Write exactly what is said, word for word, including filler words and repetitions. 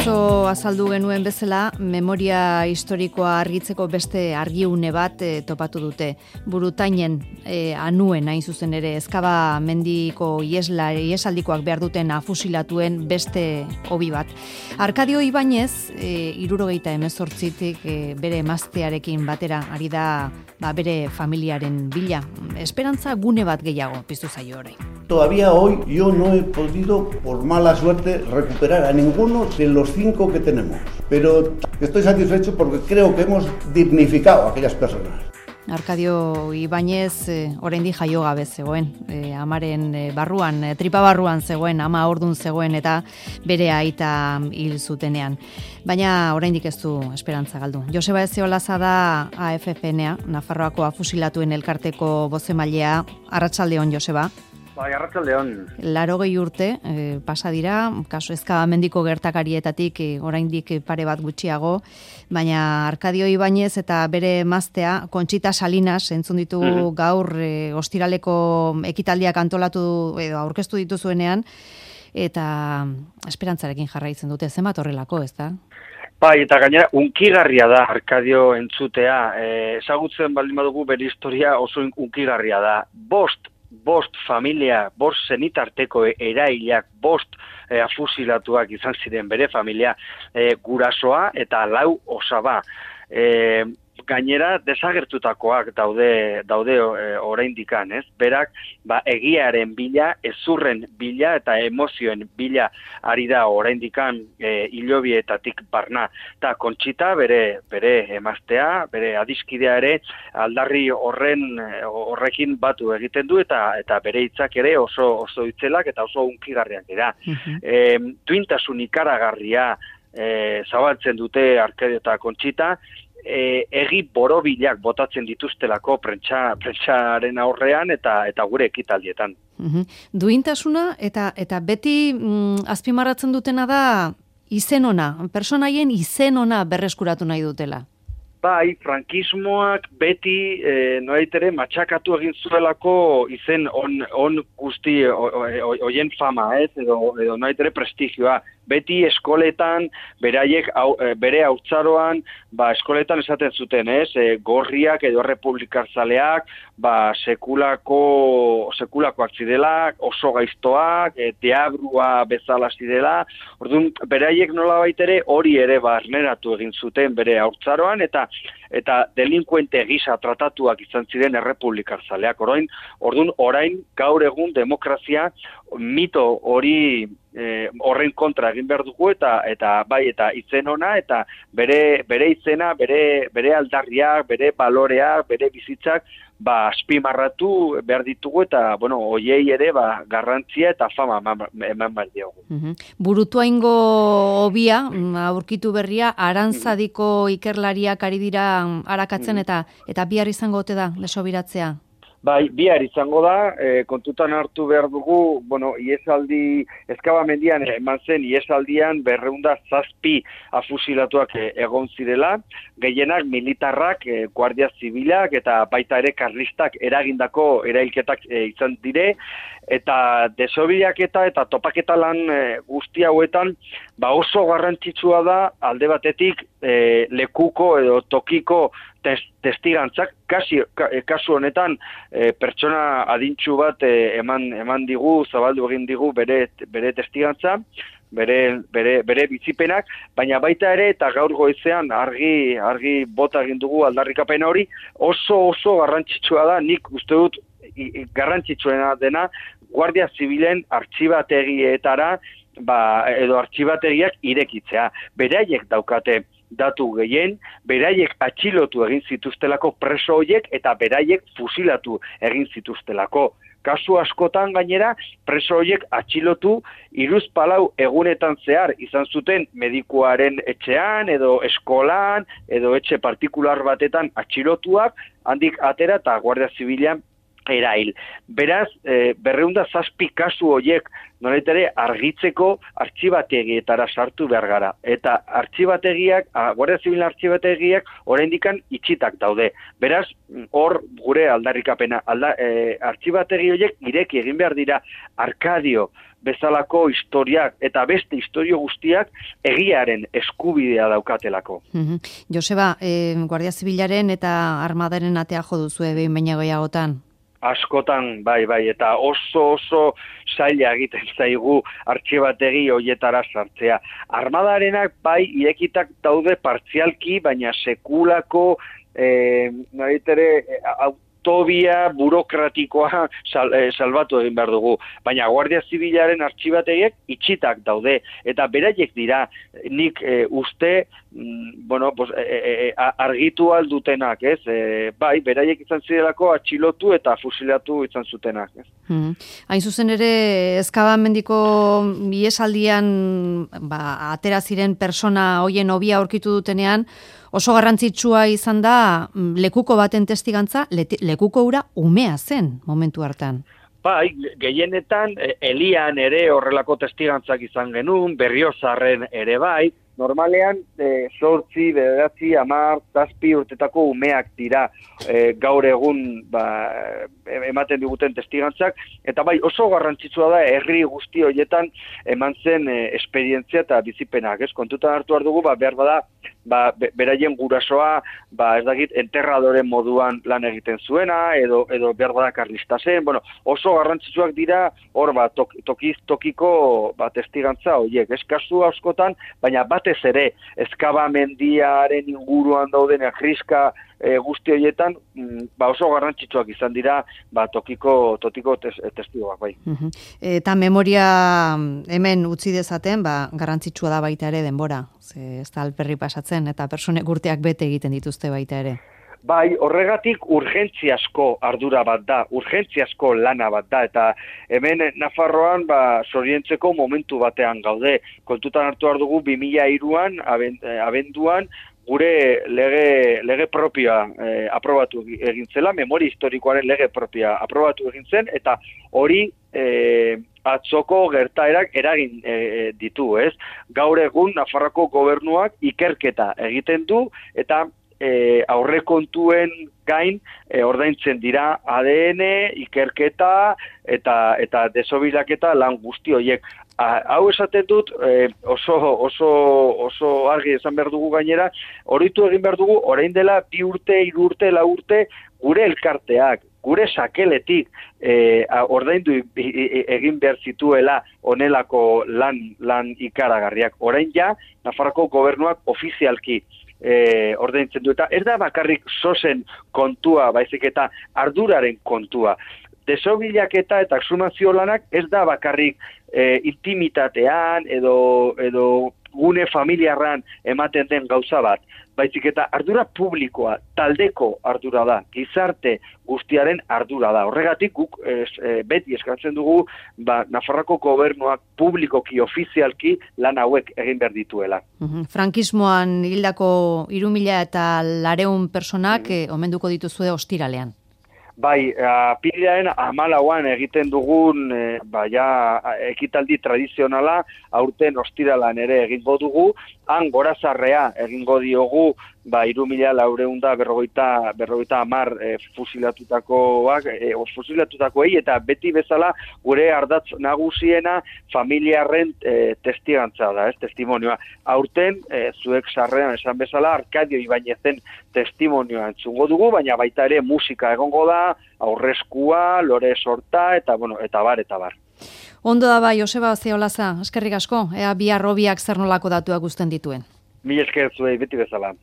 Atzo azaldu genuen bezala, memoria historikoa argitzeko beste argiune bat e, topatu dute. Burutainen e, anuen hain zuzen ere, Ezkaba mendiko iesla, iesaldikoak behar duten afusilatuen beste hobi bat. Arkadio Ibañez, e, irurogeita hemezortzitik e, bere emaztearekin batera ari da ba, bere familiaren bila. Esperantza gune bat gehiago piztu zaio orain. Todavía hoy yo no he podido, por mala suerte, recuperar a ninguno de los cinco que tenemos. Pero estoy satisfecho porque creo que hemos dignificado a aquellas personas. Arkadio Ibañez eh, oraindik jaio gabe zegoen, eh, amaren eh, barruan, eh, tripa barruan zegoen, ama ordun zegoen eta bere aita hil zutenean. Baina oraindik ez du esperantza galdu. Joseba Ezeolaza da A F P N A, Nafarroako afusilatuen elkarteko bozemailea. Arratsaldeon, Joseba. Bai, arratsaldeon. Larogei urte eh, pasa dira, kasu Ezkaba mendiko gertakarietatik eh, oraindik pare bat gutxiago, baina Arkadio Ibañez eta bere emaztea Conchita Salinas entzun ditu mm-hmm. gaur eh, ostiraleko ekitaldiak antolatu edo aurkeztu dituzuenean, eta esperantzarekin jarraitzen dute, zenbat horrelako, ez da? Bai, eta gainera, unkigarria da Arkadio entzutea, eh, ezagutzen baldin badugu bere historia oso unkigarria da. Bost bost familia, bost zenitarteko erailak, bost e, afusilatuak izan ziren bere familia, e, gurasoa eta lau osaba. E, gainera desagertutakoak daude daude e, oraindikan, ez? Berak ba egiaren bila, ezurren bila eta emozioen bila ari da oraindikan e, hilobietatik barna. Ta Conchita bere bere emaztea, bere adiskidea ere aldarri horren horrekin batu egiten du eta eta bere hitzak ere oso oso hitzelak eta oso unkigarriak dira. Uh-huh. E, duintasun ikaragarria e, zabaltzen dute Arkadio eta Conchita. E, egi borobilak botatzen dituztelako prentsa prentsaren aurrean eta eta gure ekitaldietan. Uhum. Duintasuna eta eta beti mm, azpimarratzen dutena da izen ona, personaien izen ona berreskuratu nahi dutela. Bai, frankismoak beti e, noaitere matxakatu egin zuelako izen on, on guzti hoien fama, ez, edo, edo noaitere prestigioa. Beti eskoletan, beraiek au, bere haurtzaroan, ba, eskoletan esaten zuten, ez, e, gorriak edo republikarzaleak, ba, sekulako, sekulakoak zidela, oso gaiztoak, e, deabrua bezala zidela, orduan, beraiek nolabait ere hori ere barneratu egin zuten bere haurtzaroan, eta eta delinkuente gisa tratatuak izan ziren errepublikarzaleak. Orain, orduan, orain gaur egun demokrazia mito hori eh, horren kontra egin behar dugu eta eta bai eta izen ona eta bere bere izena, bere bere aldarriak, bere baloreak, bere bizitzak ba azpimarratu behar ditugu eta bueno, hoiei ere ba garrantzia eta fama eman behar diogu. Uh-huh. Burutuaingo hobia aurkitu berria Arantzadiko ikerlariak ari dira arakatzen eta eta bihar izango ote da lesobiratzea. Bai, bihar izango da, e, kontutan hartu behar dugu, bueno, iesaldi, Ezkaba mendian eman zen, iesaldian berreunda zazpi afusilatuak e, egon zirela, gehienak militarrak, e, guardia zibilak eta baita ere karlistak eragindako erailketak e, izan dire, eta desobilaketa eta topaketa lan e, guzti hauetan, ba oso garrantzitsua da alde batetik e, lekuko edo tokiko testigantzak, kasi, kasu honetan e, pertsona adintsu bat e, eman, eman digu, zabaldu egin digu bere, bere testigantza, bere, bere, bere bizipenak, baina baita ere eta gaur goizean argi, argi bota egin dugu aldarrikapen hori, oso oso garrantzitsua da, nik uste dut garrantzitsuena dena, Guardia Zibilen artxibategietara ba, edo artxibategiak irekitzea. Beraiek daukate datu gehien, beraiek atxilotu egin zituztelako preso horiek eta beraiek fusilatu egin zituztelako. Kasu askotan gainera, preso horiek atxilotu hiruzpalau egunetan zehar izan zuten medikuaren etxean edo eskolan edo etxe partikular batetan atxilotuak, handik atera eta Guardia Zibilean erail. Beraz, e, berreunda zazpi kasu horiek nolait ere argitzeko artxibategietara sartu behar gara. Eta artxibategiak, Guardia Zibil artxibategiak oraindikan itxitak daude. Beraz, hor gure aldarrikapena. Alda, e, artxibategi horiek ireki egin behar dira Arkadio bezalako historiak eta beste historio guztiak egiaren eskubidea daukatelako. Mm-hmm. Joseba, e, Guardia Zibilaren eta Armadaren atea jo duzu behin baina gehiagotan? Askotan, bai, bai, eta oso oso zaila egiten zaigu artxibategi hoietara sartzea. Armadarenak bai irekitak daude partzialki, baina sekulako eh, naritere, autobia burokratikoa sal, eh, salbatu egin behar dugu. Baina Guardia Zibilaren artxibategiek itxitak daude, eta beraiek dira nik eh, uste mm, bueno, pues, eh, eh, argitu aldutenak, ez? Eh, bai, beraiek izan zirelako atxilotu eta fusilatu izan zutenak, ez? Hmm. Hain zuzen ere, Ezkabamendiko iesaldian ba, atera ziren persona hoien hobia aurkitu dutenean, oso garrantzitsua izan da lekuko baten testigantza, lekuko ura umea zen momentu hartan. Bai, gehienetan Elian ere horrelako testigantzak izan genuen, Berriozarren ere bai, normalean e, sortzi, bederatzi, hamar, zazpi urtetako umeak dira e, gaur egun ba, ematen diguten testigantzak, eta bai oso garrantzitsua da herri guzti horietan eman zen e, esperientzia eta bizipenak, ez? Kontutan hartu behar dugu, ba, behar bada, ba, beraien gurasoa, ba, ez dakit, enterradoren moduan lan egiten zuena, edo, edo behar bada karlista zen, bueno, oso garrantzitsuak dira, hor, ba, tok, tokiz tokiko ba, testigantza horiek, ez kasu askotan, baina batez ere, Ezkabamendiaren inguruan dauden Agriska e, guzti horietan, ba, oso garrantzitsuak izan dira, ba, tokiko, tokiko tes, testigoak, bai. Uh-huh. Eta memoria hemen utzi dezaten, ba, garrantzitsua da baita ere denbora, ze ez da alperri pasatzen, eta personek urteak bete egiten dituzte baita ere. Bai, horregatik urgentziasko ardura bat da, urgentziasko lana bat da, eta hemen Nafarroan ba, sorientzeko momentu batean gaude. Kontutan hartu behar dugu bi mila hiruan, abenduan, gure lege, lege propioa eh, aprobatu egin zela, memoria historikoaren lege propioa aprobatu egin zen, eta hori eh, atzoko gertaerak eragin e, ditu, ez? Gaur egun Nafarroko gobernuak ikerketa egiten du, eta E, aurrekontuen gain e, ordaintzen dira A D N, ikerketa eta eta desobilaketa lan guzti horiek. A, hau esaten dut e, oso, oso, oso argi esan behar dugu gainera, horitu egin behar dugu orain dela bi urte, hiru urte, lau urte gure elkarteak, gure sakeletik e, ordaindu egin behar zituela onelako lan, lan ikaragarriak. Orain ja, Nafarroko gobernuak ofizialki E, ordaintzen du, eta ez da bakarrik sosen kontua, baizik eta arduraren kontua. Desobilaketa eta exhumazio lanak ez da bakarrik e, intimitatean edo, edo gune familiarran ematen den gauza bat, baizik eta ardura publikoa, taldeko ardura da, gizarte guztiaren ardura da. Horregatik guk es, e, beti eskatzen dugu ba, Nafarroko gobernuak publikoki, ofizialki lan hauek egin behar dituela. Uhum. Frankismoan hildako hiru mila eta lareun personak mm. eh, omenduko dituzue ostiralean. Bai, apirilaren hamalauan egiten dugun e, ba, ja, ekitaldi tradizionala aurten ostiralan ere egingo dugu, han gorazarrea egingo diogu ba, hiru mila laurehun berrogeita berrogeita hamar e, fusilatutakoak, e, fusilatutakoei, eta beti bezala gure ardatz nagusiena familiarren e, testigantza da, ez, testimonioa. Aurten, e, zuek sarrean esan bezala, Arkadio Ibainezen testimonioa entzungo dugu, baina baita ere musika egongo da, aurreskua, lore sorta, eta bueno, eta bar, eta bar. Ondo da bai, Joseba Zeolaza, eskerrik asko, ea bihar hobiak zer nolako datuak guzten dituen. Mil esker zuei, beti bezala.